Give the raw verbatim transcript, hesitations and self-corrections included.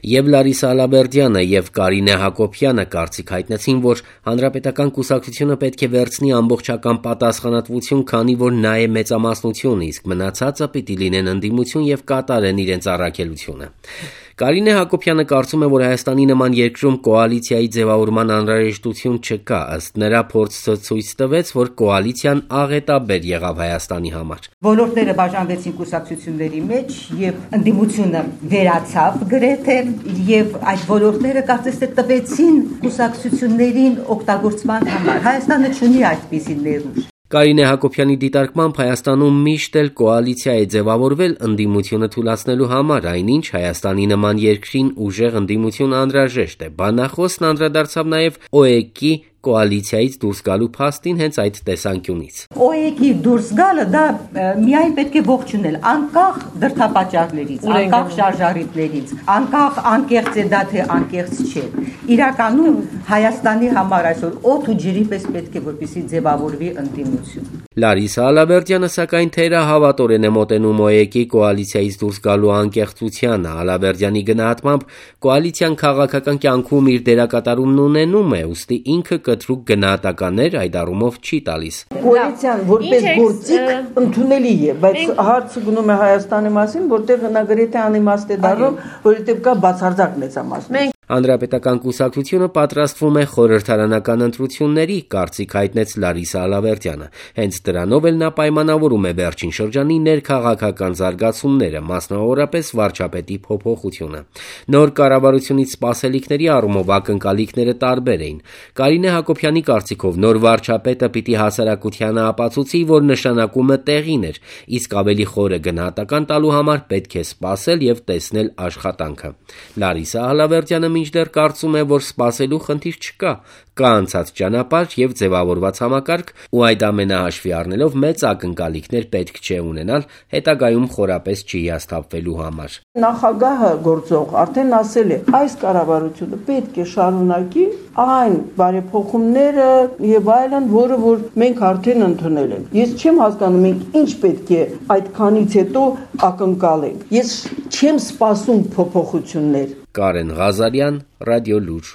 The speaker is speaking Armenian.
Եվ Լարիսա Ալաբերդյանը եւ Կարինե Հակոբյանը կարծիք հայտնեցին, որ հանրապետական կուսակցությունը պետք է վերցնի ամբողջական պատասխանատվություն, քանի որ նա է մեծամասնություն, իսկ մնացածը պիտի լինեն ընդդիմություն եւ կատարեն իրենց առաքելությունը։ Կարինե Հակոբյանը կարծում է, որ Հայաստանի նման երկրում կոալիցիայի ձևավորման անհրաժեշտություն չկա, ըստ նրա փորձը ցույց տվեց, որ կոալիցիան աղետաբեր եղավ Հայաստանի համար։ Բոլորները բաժանվեցին կուսակցությունների մեջ եւ ընդդիմությունը վերացավ գրեթե եւ այդ ոլորտները կարծես թե տվեցին կուսակցություններին օգտագործման համար։ Հայաստանը չունի այդպիսի ներուժ։ Կարինե Հակոբյանի դիտարկմամբ Հայաստանում միշտ էլ կոալիցիա է ձևավորվել ընդդիմությունը թուլացնելու համար, այնինչ Հայաստանի նման երկրին ուժեղ ընդդիմություն անհրաժեշտ է։ Բանախոսն անդրադարձավ նաև ՕԵԿ-ի կոալիցիայից դուրս գալու փաստին հենց այդ տեսանկյունից։ ՕԵԿ-ի դուրս գալը դա միայն պետք է ողջունել, անկախ դրդապատճառներից, անկախ շարժառիթներից, անկախ անկեղծ է դա թե անկեղծ չէ։ Իրականում Հայաստանի համար այսօր օդ ու ջրի պես պետք է որպեսզի ձևավորվի ընդդիմություն։ Լարիսա Ալաբերդյանը սակայն թերահավատորեն է մոտենում ՕԵԿ-ի կոալիցիայից դուրս գալու անկեղծությանը։ Ալաբերդյանի գնահատմամբ կոալիցիան քաղաքական կյանքում իր դերակատարումն ունենում է, ուստի ինքը կտրուկ գնահատականներ այդ առումով չի տալիս։ Կոալիցիան որպես գործիք ընդունելի է, բայց հարցը գնում է Հայաստանի մասին, որտեղ նա գրեթե անիմաստ է դառնում, որովհետև կա բացարձակ մեծամասնություն։ Հանրապետական կուսակցությունը պատրաստվում է խորհրդարանական ընտրությունների, կարծիք հայտնեց Լարիսա Ալաբերդյանը։ Հենց դրանով էլ նա պայմանավորում է վերջին շրջանի ներքաղաքական զարգացումները, մասնավորապես վարչապետի փոփոխությունը։ Նոր կառավարությունից սպասելիքների առումով ակնկալիքները տարբեր էին։ Կարինե Հակոբյանի կարծիքով նոր վարչապետը պիտի հասարակությանը ապացուցի, որ նշանակումը տեղին էր, իսկ ավելի խորը գնահատական տալու համար պետք է սպասել եւ տեսնել աշխատանքը։ Լարիսա Ալաբերդյանը մինչդեռ կարծում է, որ սպասելու խնդիր չկա, կա անցած ճանապարհ եւ ձևավորված համակարգ, ու այդ ամենը հաշվի առնելով մեծ ակնկալիքներ պետք չէ ունենալ հետագայում խորապես չհիասթափվելու համար։ Նախագահը գործող արդեն ասել է, այս կառավարությունը պետք է շարունակի այն բարեփոխումները եւ այլն, որը որ մենք արդեն ընդունել ենք։ Ես չեմ հասկանում, մենք ինչ պետք է այդքանից հետո ակնկալենք։ Ես չեմ սպասում փոփոխություններ։ Կարեն Ղազարյան, Ռադիո Լուր։